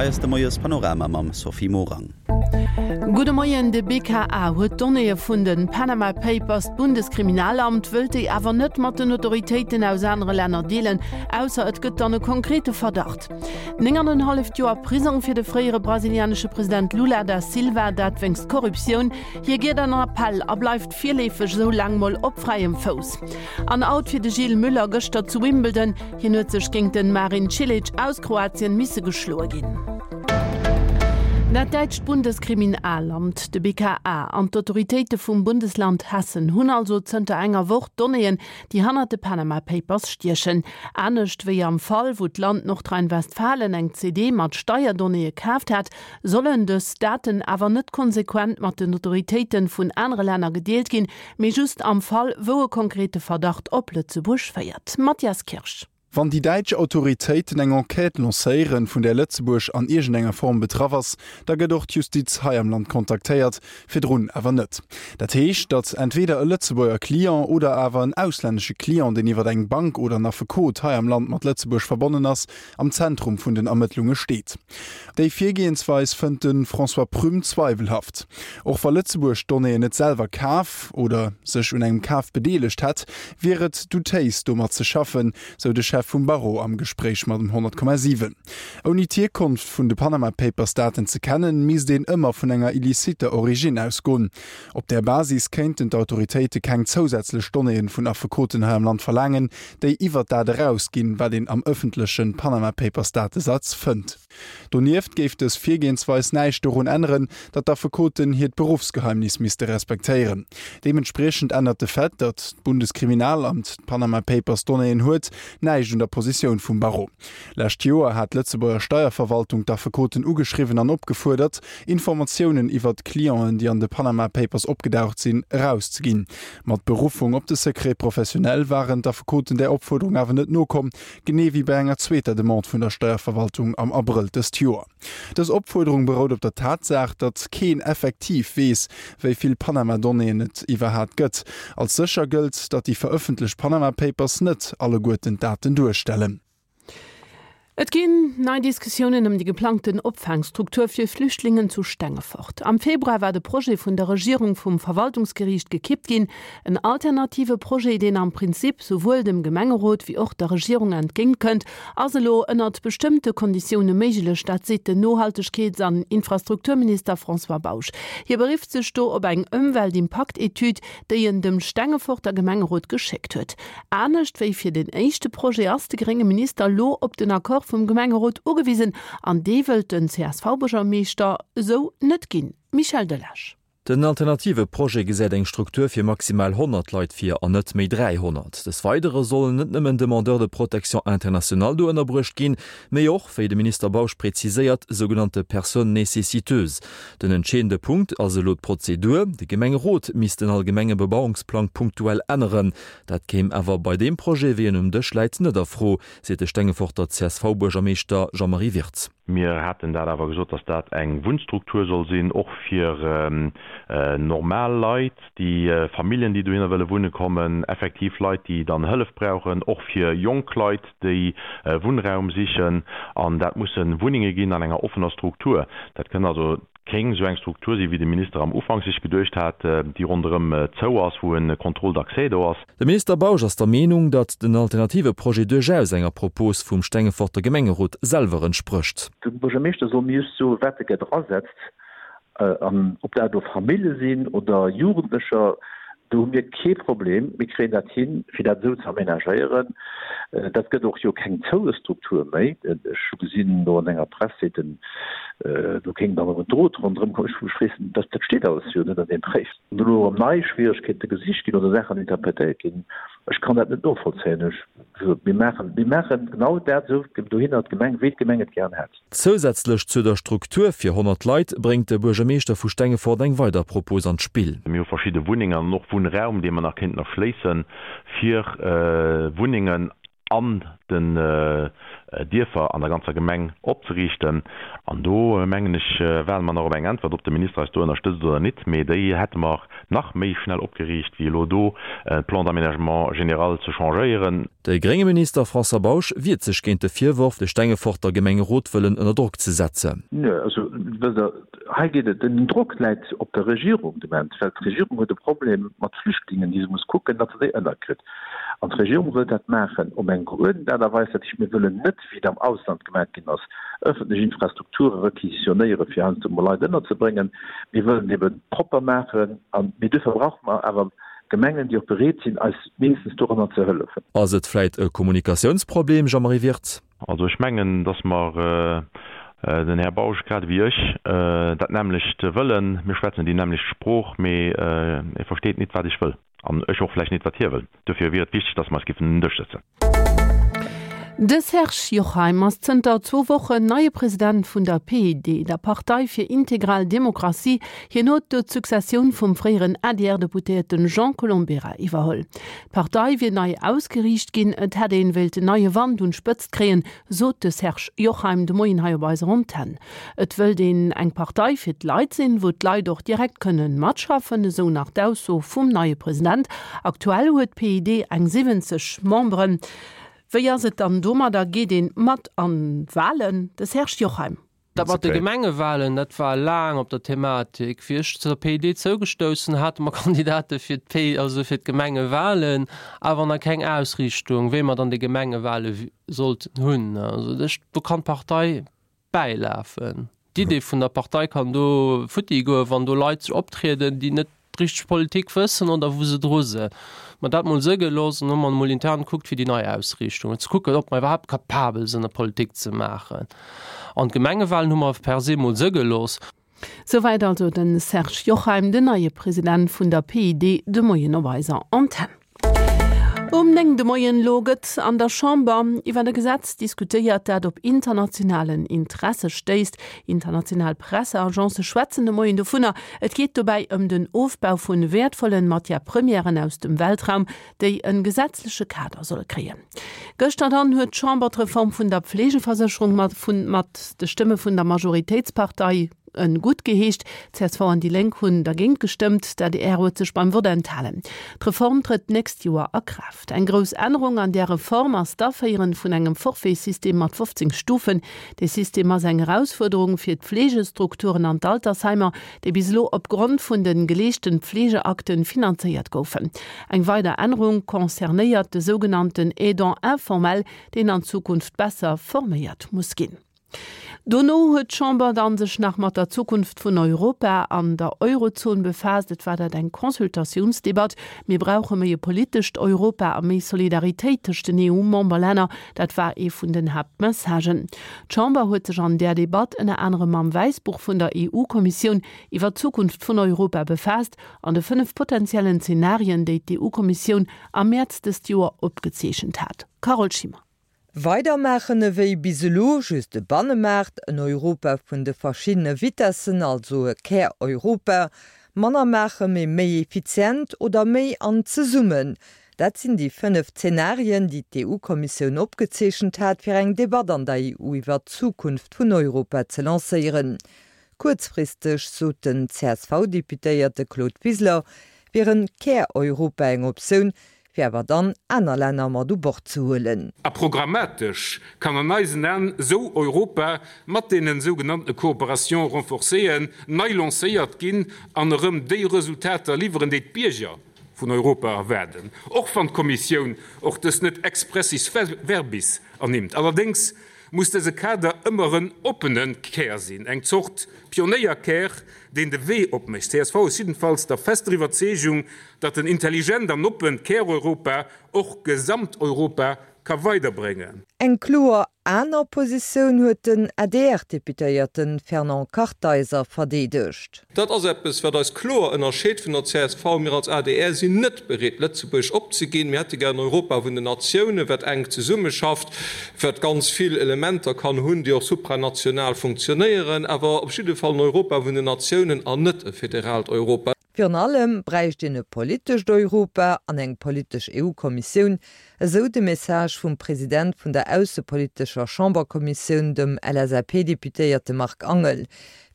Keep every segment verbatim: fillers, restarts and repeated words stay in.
Hei ass de Moiespanorama mam Sophie Morang. Gudde Moien, De B K A huet d'Donnéeë vun de Panama Papers. D'Bundeskriminalamt wëllt déi awer net mat den Autoritéiten aus anere Länner deelen, ausser et gëtt dann e konkrete Verdacht. Néng an en halleft Joer Prisong fir de fréiere brasilianesche President Lula da Silva, dat wéinst Korruptioun. Hie geet an Appell a bleift virleefeg esou laang mol op fräiem Fouss. An Out fir de Gilles Müller gëschter zu Wimbledon, hien huet sech géint de Marin Cilic aus Kroatien misse geschloe ginn. Dat däitscht Bundeskriminalamt, de B K A, an d'Autoritéite vum Bundesland Hessen hunn also zënter enger Woch Donnéeën, déi hannert de Panama Papers stiechen. Anescht wéi am Fall, wou d'Land Nordrhein-Westfalen eng C D mat Steierdonnéeë kaaft hat, sollen dës Daten awer net konsequent mat den Autoritéite vun anere Länner gedeelt ginn, mee just am Fall, wou e konkrete Verdacht op Lëtzebuerg féiert. Mathias Kirsch. Wann déi däitsch Autoritéiten eng Enquête lancéieren, vun där Lëtzebuerg an iergendenger Form betraff ass, da gëtt och d'Justiz hei am Land kontaktéiert, virdrun awer net. Dat heescht, datt entweder e Lëtzebuerger Client oder awer en auslännesche Client, deen iwwer eng Bank oder en Affekot hei am Land mat Lëtzebuerg verbonnen ass, am Zentrum vun den Ermëttlunge steet. Déi Virgehensweis fënnt de François Prüm zweiwelhaft. Och wa Lëtzebuerg d'Donnéeën net selwer kaf oder sech un engem Kaf bedeelegt hätt, wier et doutéis domat ze schaffen, sou de Chef vum Barreau am Gespréich mat dem honnert Komma siwen. Ouni d'Hierkonft vun de Panama Papers Daten ze kennen, misst een ëmmer vun enger illiciter Origine ausgoen. Op där Basis kéinten d'Autoritéite keng zousätzlech Donnéeën vun Affekoten hei am Land verlaangen, déi iwwer dat erausginn, wat een am ëffentleche Panama Papers Datesaz fënnt. Donieft géif dës Virgehensweis näischt dorun änneren, datt d'Affekoten hiert Beruffsgeheimnis misste respektéieren. Deementspriechend ännert de Fait, datt d'Bundeskriminalamt d'Panama Papers Donnéeën huet, näischt un der Positioun vum Barreau. Lescht Joer hat d'Lëtzebuerger Steierverwaltung d'Affekoten ugeschriwwen an opgefuerdert, Informatiounen iwwer d'Clienten, déi an de Panama Papers opgedaucht sinn, erauszeginn. Mat Beruffung op de Secret professionnel waren d'Affekoten der Opfuerderung awer net nokomm, genee wéi bei enger zweeter Demande vun der Steierverwaltung am Abrëll dëst Joer. Dës Opfuerderung berout op der Tatsaach, datt keen effektiv weess, wéi vill Panama-Donnéeën et iwwerhaapt gëtt. Als sécher gëllt, datt déi verëffentlecht Panama Papers net alleguerten d'Daten duerstellen. Et ginn nei Diskussiounen ëm déi geplangten Opfaangstruktur fir Flüchtlingen zu Stengefort. Am Februar war de Projet vun der Regierung vum Verwaltungsgeriicht gekippt ginn. En alternative Projet, deen am Prinzip souwuel dem Gemengerot wéi och der Regierung entgéintkënnt, ass elo ënnert bestëmmte Konditioune méiglech, dat seet den Nohaltegkeets- an Infrastrukturminister François Bausch. Hie berifft sech do op eng Ëmweltimpaktetüd, déi en dem Stengeforter Gemengerot geschéckt huet. Anescht wéi fir den éischte Projet ass de grénge Minister elo op den Accord vum Gemengerot ugewisen, an dee wëllt den C S V-Buergermeeschter esou net ginn. Michel Delage. Den alternative Projet gesäit eng Struktur fir maximal honnert Leit vir an net méi dräihonnert. Des Weidere sollen net nëmmen Demandeurs de protection internationale do ënnerbruecht ginn, mee och, wéi de Minister Bausch präziséiert, sougenannte Personnes nécessiteuses. Den entscheedende Punkt ass elo d'Prozedur: De Gemengerot misst den allgemenge Bebauungsplang punktuell änneren. Dat kéim awer bei deem Projet, wéi en um Dësch läit, net a Fro, seet de Stengeforter C S V-Buergermeeschter Jean-Marie Wirtz. Mir haten dat awer gesot, datt dat eng Wunnstruktur soll sinn, och fir äh, normal Leit, déi äh, Familljen, déi dohinner wëlle wunne kommen, effektiv Leit, déi dann Hëllef brauchen, och fir jonk Leit, déi äh, Wunnraum sichen, an dat musse Wunnenge ginn an enger offener Struktur. Dat kënn also keng sou eng Struktur sinn, wéi de Minister am Ufank sech geduecht hat, äh, déi ronderëm äh, zou ass, wou e Contrôle d'accès do ass. De Minister Bausch ass der Meenung, datt den alternative Projet duerchaus enger Propos vum Stengeforter Gemengerot selwer entsprécht. De Buergermeeschter soll mir just soen, wat e gär drasetzt, an ob dat do Famillje sinn oder Jugendlecher, do hu mir kee Problem, mir kréien dat hin, fir dat esou ze amenagéieren. Dat gëtt och jo keng zoue Struktur méi. Ech hu gesinn do an enger Press seet en, do kéint dann och en Drot ronderëm kommen. Ech weess net, dat steet alles jo net an deem Bréif. Wann do elo erëm nei Schwieregkeete gesicht ginn oder Saachen interpretéiert ginn, ech kann dat net novollzéien. Ech, mir maachen, mir maachen genau dat esou dohinner d'Gemeng, wéi d'Gemeng et gären hätt. Zousätzlech zu der Struktur fir honnert Leit bréngt de Buergermeeschter vu Stengefort eng weider Propos an d'Spill. Mir hu verschidde Wunnengen an och Wunnraum, dee mer nach kéinten erschléissen, fir Wunnengen an den Dierfer an der ganzer Gemeng opzeriichten. An do, mengen ech, waarde mer nach op eng Äntwert, ob de Minister eis do ënnerstëtzt oder nit. Mee déi hätte mer nach méi schnell opgeriicht, wéi elo do de Plan d'aménagement général ze changéieren. De grénge Minister François Bausch wiert sech géint de Virworf, de Stengeforter Gemengerot wëllen ënner Drock ze setzen. Nö, also wësst Der, hei geet et, den Drock läit op der Regierung de Moment, well d'Regierung huet e Problem mat Flüchtlingen, déi se muss kucken, datt se déi ënnerkritt. An d'Regierung wëllt dat maachen op eng geuerdent Aart a Weis. Dat heescht, mir wëllen net, wéi et am Ausland gemaach ginn ass, ëffentlech Infrastrukture requisitionéieren, fir heiansdo emol Leit ënnerzebréngen. Mir wëllen et ebe propper maachen. An, mee duerfir brauche mer awer Gemengen, déi och bereet sinn, eis mindestens doranner ze hëllefen. Ass et vläit e Kommunikatiounsproblem, Jean-Marie Wirtz? Also ech mengen, datt mer, den Här Bausch grad ewéi ech, dat nämmlecht wëllen. Mir schwätzen déi nämmlecht Sprooch, mee e versteet nit, wat ech wëll, an ech och vläicht nit, wat hie wëll. Dofir wier et wichteg, datt mer eis géifen un den Dësch sëtzen. De Serge Jochheim ass zënter zwou Wochen neie President vun der P I D, der Partei fir integral Demokratie. Hien huet do d'Successioun vum fréieren A D R-Deputéierte Jean Colombera iwwerholl. D'Partei wier nei ausgeriicht ginn, et hätt een wéilten neie Wand un d'Spëtzt kréien, sot de Serge Jochheim de Moien hei op eiser Antenn. Et wëllt een eng Partei fir d'Leit sinn, wou d'Leit och direkt kënnen matschaffen, esou nach d'Ausso vum neie President. Aktuell huet d'P I D eng siwwenzeg Memberen. Wéi ass et dann domadder, geet een mat an d'Walen? De Serge Jochheim. Dat mat de Gemengewalen, dat war laang op der Thematik. Wéi ech zur P I D zougestouss hate mer Kandidate fir d'P, also fir d'Gemengewalen, awer nach keng Ausriichtung, wéi mer dann déi Gemengewale sollten hunn. Also ech, do kann d'Partei bäilafen. D'Idee vun der Partei kann do futti goen, wann do Leit sech optrieden, déi net richteg Politik wëssen oder wou se dru sinn. Mer dat mol sëgge loossen, hu mer mol intern kuckt fir déi nei Ausriichtung, ze kucken, ob mer iwwerhaapt kapabel sinn, Politik ze maachen. An d'Gemengewalen hu mer per se mol sëgge looss. Souwäit also den Serge Jochheim, den neie President vun der P I D, de Moien op eiser Antenn. Um néng de Moien lo gëtt an der Chamber iwwer e Gesetz diskutéiert, dat op internationalen Interesse stéisst. International Presseagence schwätzen de Moien dovunner. Et geet dobäi ëm den Ofbau vun wäertvollen Matière-premièren aus dem Weltraum, déi e gesetzleche Kader solle kréien. Gëschter dann huet d'Chamber d'Reform vun der Pflegeversécherung mat, vun, mat de Stëmme vun der Majoritéitspartei guttgeheescht. C S V an déi Lénk hunn dergéint gestëmmt, d'A D R huet sech beim Vott enthalen. D'Reform trëtt d'nächst Joer a Kraaft. Eng grouss Ännerung an der Reform ass d'Aféiere vun engem Forfaitsystem mat fofzéng Stufen. De System ass eng Erausfuerderung fir d'Pflegestrukturen an d'Altersheimer, déi bis elo opgrond vun de geleeschten Pflegeakten finanzéiert goufen. Eng weider Ännerung concernéiert de sougenannten Aidant informel, deen an Zukunft besser forméiert muss ginn. Dono huet d'Chamber dann sech nach mat der Zukunft vun Europa an der Eurozon befaasst. Et war dat eng Consultatiounsdebatt. Mir brauche méi e politescht Europa a méi Solidaritéit tëscht den E U-Memberlänner. Dat war ee vun den Haaptmessagen. D'Chamber huet sech an der Debatt ënner anerem mam Wäissbuch vun der E U-Kommissioun iwwer d'Zukunft vun Europa befaasst an de fënnef potenziellen Zenarien, déi d'E U-Kommissioun am Mäerz dëst Joer opgezeechent hat. Carole Schimmer. Weidermaachen ewéi bis elo, just e Bannemaart, en Europa vun de verschiddene Vitessen, also e Kär-Europa, manner maache mee méi effizient oder méi an zesummen. Dat sinn déi fënnef Zenarien, déi d'E U-Kommissioun opgezeechent hat, fir eng Debatt an der E U iwwer d'Zukunft vun Europa ze lancéieren. Kuerzfristeg, sot den C S V-Deputéierte Claude Wiseler, wier e Kär-Europa eng Optioun, fir awer dann aner Länner mat u Bord ze huelen. A programmatesch kann an eisen Aen esou Europa mat deenen sougenannte Coopérations renforcéeën nei lancéiert ginn an erëm déi Resultater liwweren, déi d'Bierger vun Europa erwaarden, och wann d'Kommissioun och dës net expressis verbis ernimmt. Allerdéngs muss dëse Kader ëmmer en oppene Kär sinn, eng Zort Pionéierkär, deen de Wee opmécht. C S V ass jiddefalls der fester Iwwerzeegung, datt en intelligent an oppent Käreuropa och Gesamteuropa ka weiderbréngen. Eng kloer aner Positioun huet den A D R-Deputéierte Fernand Kartheiser verdeedegt. Dat ass eppes, wat eis kloer ënnerscheet vun der C S V. Mir als A D R sinn net bereet, Lëtzebuerg opzeginn. Mir hätte gär en Europa vun den Natiounen, wat enk zesummeschafft, wat ganz vill Elementer kann hunn, déi och supranational funktionéieren, awer op jidde Fall en Europa vun den Natiounen an net e federaalt Europa. Virun allem bräicht een e politescht Europa an eng politesch EU-Kommissioun, esou de Message vum President vun der aussepolitescher Chamberkommissioun, dem LSAP-Deputéierte Marc Angel.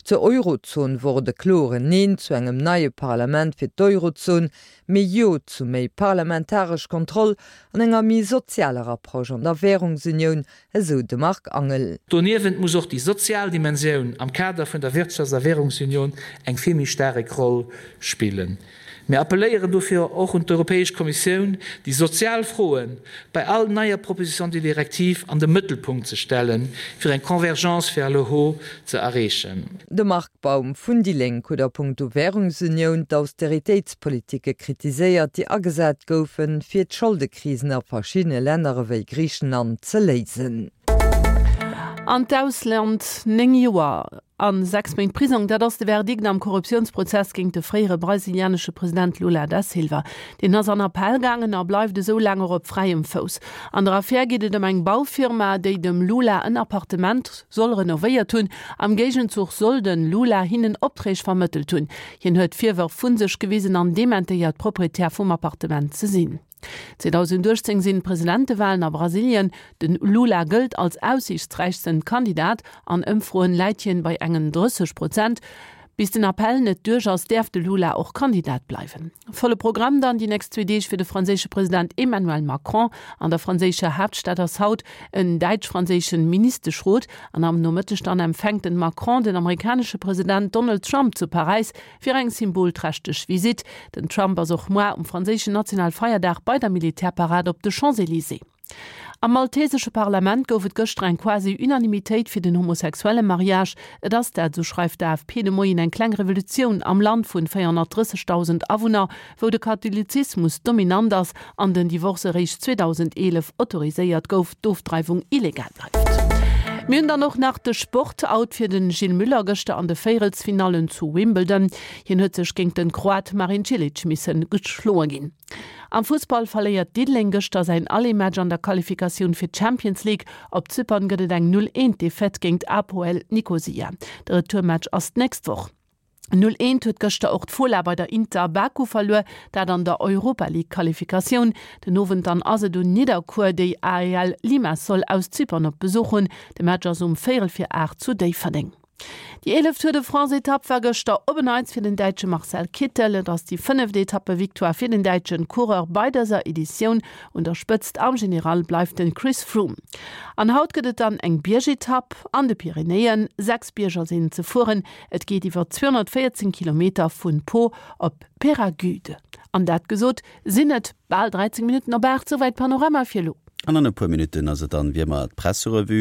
Zur Eurozon wor et e kloren Neen zu engem neie Parlament fir d'Eurozon, mee Jo zu méi parlamentaresch Kontroll an enger méi sozialer Approche an der Währungsunioun, esou de Marc Angel. Doniewent muss och déi sozial Dimensioun am Kader vun der Wirtschafts a Währungsunioun eng vill méi staarek Roll spillen. Mir appelléieren dofir och un d'Europäesch Kommissioun, déi sozial Froe bei all neier Proposition de directive an de Mëttelpunkt ze stellen, fir eng Convergence vers le haut ze erreechen. De Marc Baum vun déi Lénk huet a punkto Währungsunioun d'Austeritéitspolitike kritiséiert, déi agesat goufen, fir d'Scholdekrisen a verschiddene Länner ewéi Griichenland ze léisen. An d'Ausland, Néng Joer a sechs Méint Prisong, dat ass de Verdikt am Korruptiounsprozess géint de fréiere brasilianesche President Lula da Silva. Deen ass an Appell gaangen a bleift esou laang och op fräiem Fouss. An der Affär geet et ëm eng Baufirma, déi dem Lula en Appartement soll renovéiert hunn. Am Géigenzuch soll de Lula hinnen Opträg vermëttelt hunn. Hien huet d'Virwërf vu sech gewisen an dementéiert, Proprietär vum Appartement ze sinn. zweedausendachtzéng sinn d'Presidentewalen a Brasilien. Den Lula gëllt als aussiichtsräichsten Kandidat, an Ëmfroen läit hien bei engen drësseg Prozent. Bis den Appell net duerch ass, däerf de Lula och Kandidat bleiwen. Volle Programm dann déi nächst zwee Deeg fir de franséische President Emmanuel Macron. An der franséischer Haaptstad ass haut en däitsch-franséischen Ministeschrot an am Nomëtteg dann empfänkt den Macron den amerikanesche President Donald Trump zu Paräis fir eng symbolträchteg Visitt. Den Trump ass och muer um franséischen Nationalfeierdag bei der Militärparad op de Champs-Élysées. Am maltesesche Parlament gouf et gëschter eng quasi Unanimitéit fir den homosexuelle Mariage. Et ass dat, sou schreift d'AFP de Moien, eng kleng Revolutioun am Land vun véierhonnertdrëssegdausend Awunner, wou de Katholizismus dominant ass an den Divorce eréischt zweedausendeelef autoriséiert gouf, d'Ofdreiwung illegal bleift. Mir hunn dann och nach de Sport, Out fir de Gilles Müller gëschter an de Véierelsfinallen zu Wimbledon. Hien huet sech géint den Kroat Marin Cilic missen geschloe ginn. Am Fussball verléiert Diddeleng gëschter säin Aller-Match an der Qualifikatioun fir d'Champions League. Op Zypern gëtt et eng Null Eent Defaite géint APOEL Nikosia. De Retourmatch ass d'nächst Woch. Null Eent huet gëschter och d'Fola bei der Inter Baku verluer, dat an der Europa League Qualifikatioun. Den Owend dann ass et un Nidderkuer, déi A E L Limassol aus Zypern op Besuch hunn. De Match ass um véierel vir aacht zu Déifferdeng. Déi eeleft Tour de France Etapp war gëschter op en Neits fir den Däitsche Marcel Kittel. Et ass déi fënneft Etappevictoire fir den däitschen Coureur bei dëser Editioun. Un der Spëtzt am General bleift den Chris Froome. An haut gëtt et dann eng Biergetapp an de Pyrenäen. Sechs Bierger sinn ze fueren. Et geet iwwer zweehonnertvéierzéng Kilometer vun Pau op Peyragudes. An dat gesot, sinn et bal dräizéng Minutten op aacht. Souwäit Panorama fir elo. An an e puer Minutten ass et dann wéi ëmmer d'Presserevue.